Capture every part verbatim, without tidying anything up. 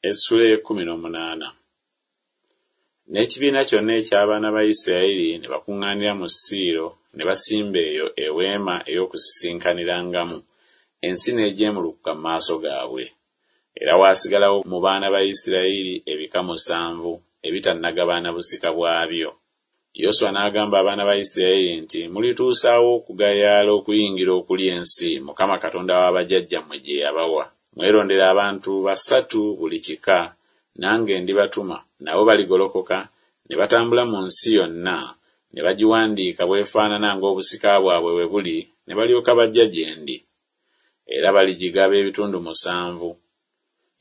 Essula ey'ekkumi n'omunaana. N'ekibiina kyonna eky'abaana ba Isirayiri ne bakuŋŋaanira mu Siiro ne basimba eyo eweema ey'okusisinkanirangamu, ensi n'ejeemulukuka mu maaso gaabwe. Era waasigalawo mu baana ba Isirayiri ebika musanvu ebitannagabana busika bwabyo. Yoswa n'agamba abaana ba Isirayiri nti, Mulituusa wa okugayaala okuyingira okulya ensi Mukama Katonda wa bajjajjammwe gye yabawa? Mwerondere abantu basatu buli kika, nange ndibatuma, nabo baligolokoka ne batambula mu nsi yonna, ne bagiwandiika bw'efaanana ng'obusika bwabwe bwe buli, ne balyoka bajja gye ndi. Era baligigaba ebitundu musanvu.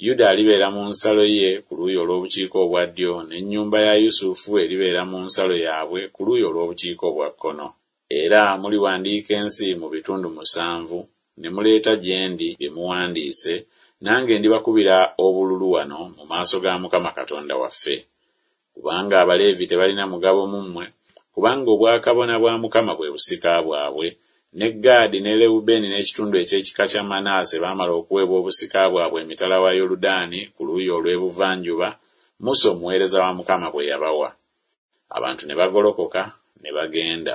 Yuda alibeera mu nsalo ye ku luuyi olw'obukiika obwa ddyo, n'ennyumba ya Yusufu eribeera mu nsalo yaabwe ku luuyi olw'obukiika obwa kkono. Era muliwandiika ensi mu bitundu musanvu, ne muleeta gye ndi bye muwandiise, nange ndibakubira obululu wano mu maaso ga Mukama Katonda waffe. Kubanga Abaleevi tebalina mugabo mu mmwe, kubanga obwakabona bwa Mukama bwe busika bwabwe, ne Gaadi ne Lewubeeni n'ekitundu eky'ekika kya Manaase baamala okuweebwa obusika bwabwe emitala wa Yoludaani ku luuyi olw'ebuvanjuba, Musa omuweereza wa Mukama bwe yabawa. Abantu ne bagolokoka ne bagenda.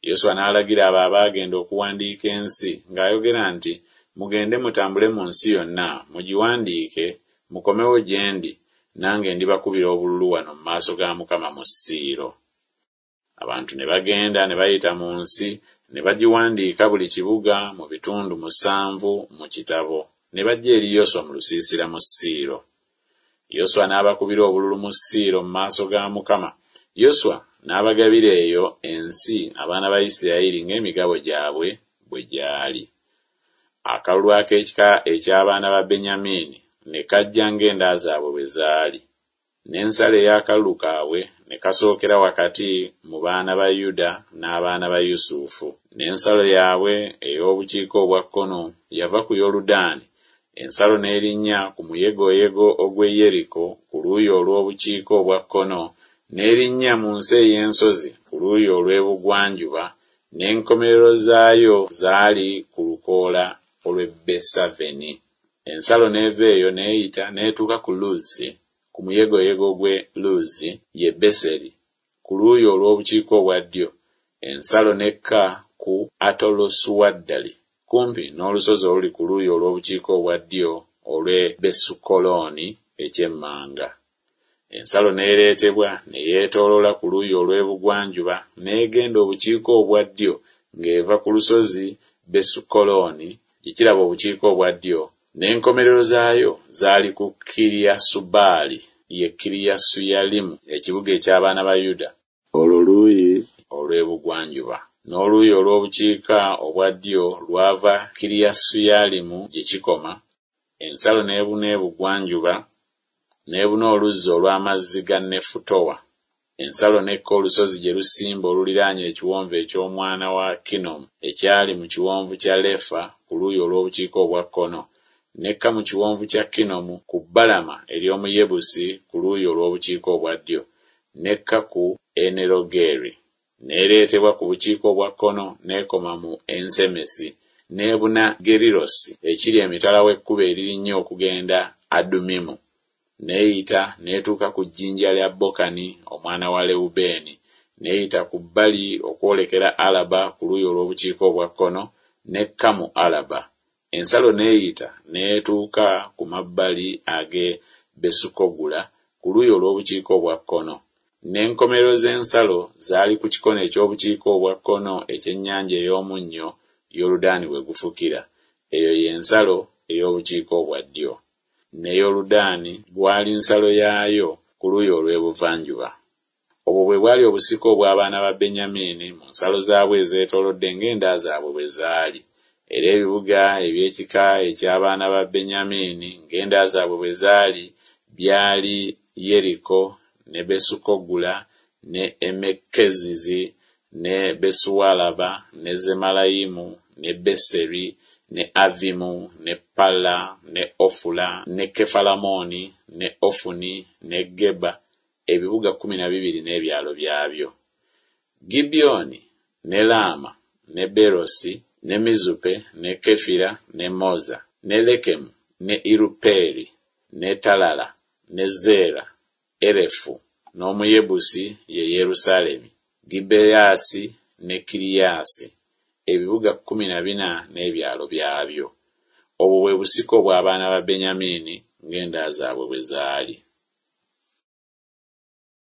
Yoswa n'alagira abo abaagenda okuwandiika ensi ng'ayogera nti, Mugende mutambule mu nsi yonna, mugiwandiike, mukomewo gye ndi, nange ndibakubira obululu wano mu maaso ga Mukama mu Siiro. Abantu ne bagenda ne bayita mu nsi, ne bagiwandiika buli kibuga mu bitundu musanvu mu kitabo, ne bajja eri Yoswa mu lusiisira mu Siiro. Yoswa n'abakubira obululu mu Siiro mu maaso ga Mukama. Yoswa n'abagabira eyo ensi abaana ba Isirayiri ng'emigabo gyabwe bwe gyali. Akalulu ak'ekika eky'abaana ba Benyamini ne kajja ng'enda zaabwe bwe zaali. N'ensalo ey'akalulu kaabwe ne kasookera wakati mu baana ba Yuda n'abaana ba Yusufu. N'ensalo yaabwe ey'obukiika obwa kkono yava ku Yoludaani, ensalo n'erinnya ku muyegoyego ogw'e Yeriko ku luuyi olw'obukiika obwa kkono, n'erinnya mu nsi ey'ensozi ku luuyi olw'ebugwanjuba, n'enkomerero zaayo zaali ku lukoola olw'e Besaveni. Ensalo n'eva eyo n'eyita n'etuuka ku Luzi, ku muyegoyego gw'e Luzi, ye Beseri, ku luuyi olw'obukiika obwa ddyo, ensalo n'ekka ku Atalosuaddali, kumpi n'olusozi oluli ku luuyi olw'obukiika obwa ddyo olw'e Besukolooni eky'emmanga. Ensalo n'ereetebwa ne yeetooloola ku luuyi olw'ebugwanjuba n'egenda obukiika obwa ddyo ng'eva ku lusozi Besukolooni gye kiraba obukiika obwa ddyo, n'enkomerero zaayo zaali ku Kiriasubaali, ye Kiriyasuyalimu, ekibuga eky'abaana ba Yuda, olwo luuyi olw'ebugwanjuba. N'oluuyi olw'obukiika obwa ddyo lwava Kiriyasuyalimu gye kikoma, ensalo n'ebuna ebugwanjuba, n'ebuna oluzzi olw'amazzi ga Nefutowa. Ensalo n'ekka olusozi gye lusimba oluliraanye ekiwonvu eky'omwana wa Kinomu ekyali mu kiwonvu kya Lefa ku luuyi olw'obukiika obwa kkono, n'ekka mu kiwonvu kya Kinomu ku bbalama ery'omu Yebusi ku luuyi olw'obukiika obwa ddyo, n'ekka ku Enerogeri. N'ereetebwa ku bukiika obwa kkono n'ekoma mu Ensemesi, n'ebuna Gerirosi ekiri emitala w'ekkubo eririnnya okugenda Adumimu. N'eyita n'etuuka ku jjinja lya Bokani omwana wa Lewubeeni, n'eyita ku bbali okwolekera Alaba ku luuyi olw'obukiika obwa kkono, n'ekka mu Alaba. Ensalo n'eyita n'etuuka ku mabbali ag'e Besukogula ku luuyi olw'obukiika obwa kkono. N'enkomerero z'ensalo zaali ku kikono eky'obukiika obwa kkono eky'ennyanja ey'omunnyo, Yoludaani we gufukira. Eyo y'ensalo ey'obukiika obwa ddyo. Ne Yoludaani gwali nsalo yaayo ku luuyi olw'ebuvanjuba. Obwo bwe bwali obusika obw'abaana ba Benyamini mu nsalo zaabwe ezeetoolodde ng'enda zaabwe bwe zaali. Era ebibuga eby'ekika eky'abaana ba Benyamini ng'enda zaabwe bwe zaali byali Yeriko ne Besukogula ne Emekkezizi ne Besualaba ne Zemalayimu ne Beseri ne Avimu ne Palla ne Ofula ne Kefalamoni ne Ofuni ne Geba, ebibuga kkumi na bibiri n'ebyalo byabyo. Gibyoni ne Laama ne Berosi ne Mizupe ne Kefira ne Moza ne Lekemu ne Irupeeri ne Talala ne Zeera, Erefu, n'Omuyebusi, ye Yerusaalemi, Gibeyaasi ne Kiriyaasi, ebibuga kkumi na bina n'ebyalo byabyo. Obwo bwe busika obw'abaana ba Benyamini ng'enda zaabwe bwe zaali.